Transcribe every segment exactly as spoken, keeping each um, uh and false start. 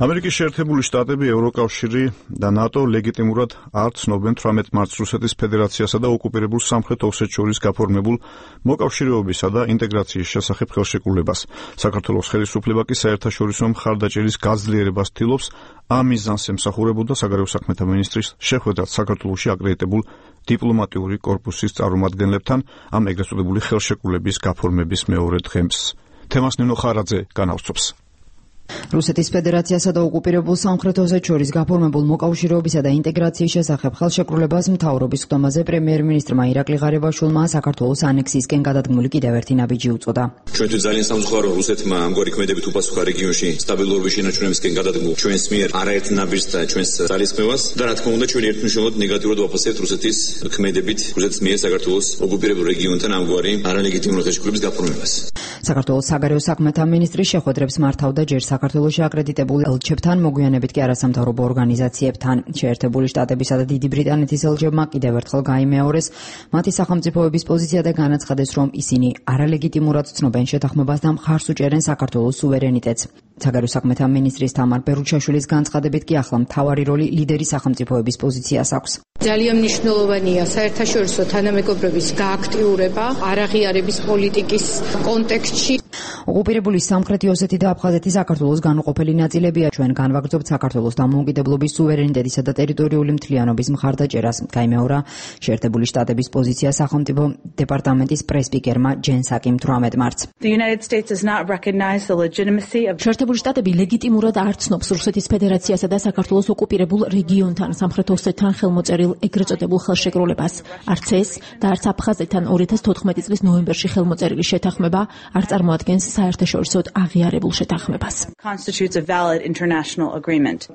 ამერიკის შეერთებული შტატები, ევროკავშირი და ნატო ლეგიტიმურად არ ცნობენ თვრამეტ მარტს რუსეთის ფედერაციასა და ოკუპირებულ სამხრეთ ოსეთს შორის გაფორმებულ მოკავშირეობისა და ინტეგრაციის შესახებ ხელშეკრულებას. საქართველოს ხელისუფლება კი საერთაშორისო მხარდაჭერის გაძლიერებას ცდილობს. ამ მიზანს ემსახურებოდა საგარეო საქმეთა მინისტრის შეხვედრად საქართველოში აკრედიტებულ დიპლომატიური კორპუსის წარმომადგენლებთან ამ ეგრეთ წოდებული ხელშეკრულების გაფორმების მეორე დღეს. თემას ნინო ხარაძე განავრცობს. რუსეთის ფედერაციასა და ოკუპირებულ სამხრეთ ოსეთს შორის გაფორმებულ მოკავშირეობისა და ინტეგრაციის შესახებ ხელშეკრულებას მთავრობის ხდომაზე პრემიერ-მინისტრმა ირაკლი ღარიბაშვილმა საქართველოს ანექსიისკენ გადადგმული კიდევ ერთი ნაბიჯი უწოდა. ჩვენთვის ძალიან სამწუხარო რუსეთმა ამგვარი ქმედებით უპასუხა რეგიონში სტაბილურობის შენარჩუნებისკენ გადადგმულ ჩვენს მიერ არაერთ ნაბიჯს და ჩვენს ძალისხმევას და რა თქმა უნდა ჩვენ ერთმნიშვნელოვნად ნეგატიურად ვაფასებთ რუსეთის ქმედებით რუსეთის მიერ საქართველოს ოკუპირებულ რეგიონთან ამგვარი არალეგიტიმური ხელშეკრულების გაფორმებას. საქართველოს საგარეო საქმეთა მინისტრი შეხვედრებს მართავდა ჯერ საქართველოში აკრედიტებულ ელჩებთან, მოგვიანებით კი არასამთავრობო ორგანიზაციებთან. შეერთებული შტატებისა და დიდი ბრიტანეთის ელჩებმა კიდევ ერთხელ გაიმეორეს მათი სახელმწიფოების პოზიცია და განაცხადეს, რომ ისინი არალეგიტიმურად ცნობენ შეთანხმებას და მხარს უჭერენ საქართველოს სუვერენიტეტს. საგარეო საქმეთა მინისტრის თამარ ბერუჩაშვილის განცხადებით კი ახლა მთავარი როლი ლიდერი სახელმწიფოების პოზიციას აქვს. ძალიან მნიშვნელოვანია საერთაშორისო თანამეგობრობის გააქტიურება არაღიარების პოლიტიკის კონტექსტში. ოკუპირებული სამხრეთი ოსეთი და აფხაზეთი საქართველოს განუყოფელი ნაწილებია. ჩვენ განვაგრძობთ საქართველოს დამოუკიდებლობის, სუვერენიტეტისა და ტერიტორიული მთლიანობის მხარდაჭერას. გაიმეორა შეერთებული შტატების პოზიცია სახელმწიფო დეპარტამენტის პრესპიკერმა ჯენ საკიმ თვრამეტ მარტს. შეერთებული შტატები ლეგიტიმურად არ ცნობს რუსეთის ფედერაციასა და საქართველოს ოკუპირებულ რეგიონთან სამხრეთ ოსეთთან ხელმოწერილ ეგრეთ წოდებულ ხელშეკრულებას. არც ეს და არც აფხაზეთთან ორი ათას თოთხმეტი წლის ნოემბერში ხელმოწერილი შეთანხმება არ წარმოადგენს საერთაშორისოდ აღიარებულ შეთანხმებას.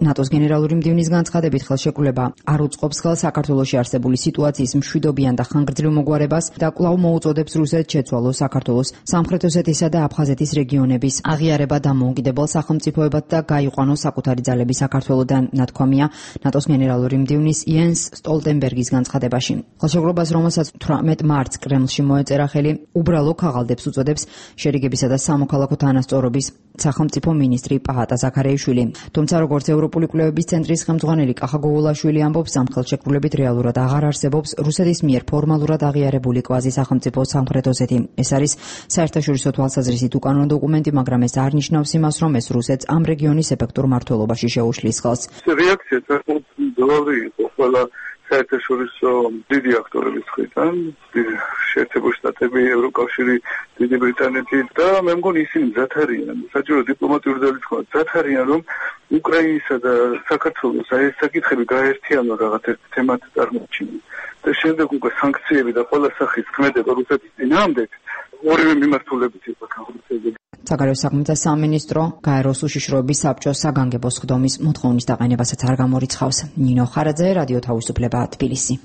ნატოს გენერალური მდივნის განცხადებით ხელშეკრულება არ უწყობს ხელს საქართველოში არსებული სიტუაციის მშვიდობიან და ხანგრძლივ მოგვარებას და კვლავ მოუწოდებს რუსეთს შეცვალოს საქართველოს სამხრეთ ოსეთისა და აფხაზეთის რეგიონების აღიარება დამოუკიდებელ სახელმწიფოებად და გაიყვანოს საკუთარი ძალები საქართველოდან, ნათქვამია ნატოს გენერალური მდივნის იენს სტოლტენბერგის განცხადებაში. ხელშეკრულებას, რომელსაც თვრამეტ მარტს კრემლში მოეწერა ხელი, უბრალო ქაღალდებს უწოდებს შერიგებისა და სამოქალაქო თანასწორობის სახელმწიფო მინისტრი პაატა ზაქარეიშვილი. თუმცა როგორც ევროპული კვლევების ცენტრის ხელმძღვანელი კახა გოგოლაშვილი ამბობს, ამ ხელშეკრულებით რეალურად აღარ არსებობს რუსეთის მიერ ფორმალურად აღიარებული კვაზი სახელმწიფო სამხრეთ ოსეთი. ეს არის საერთაშორისო თვალსაზრისით უკანონო დოკუმენტი, მაგრამ ეს არ ნიშნავს იმას, რომ ეს რუსეთს ამ რეგიონის ეფექტურ მმართველობაში შეუშლის ხელს. რეაქცია ძველი იყო ყველა საერთაშორისო დიდი აქტორების მხრიდან, შეერთებული შტატები, ევროკავშირი, დიდი ბრიტანეთი და მე მგონი ისინი მზად არიან, საჭირო დიპლომატიური ძალისხმევა მზად არიან, რომ უკრაინისა და საქართველოს აი ეს საკითხები გაერთიანონ რაღაც ერთ თემად წარმოჩინონ. და შემდეგ უკვე სანქციები და ყველა სახის ქმედება რუსეთის წინააღმდეგ ორივე მიმართულებით იყო განხორციელებული. საგარეო საქმეთა სამინისტრო გაეროს უშიშროების საბჭოს საგანგებო სხდომის მოთხოვნის დაყენებასაც არ გამორიცხავს. ნინო ხარაძე, რადიო თავისუფლება, თბილისი.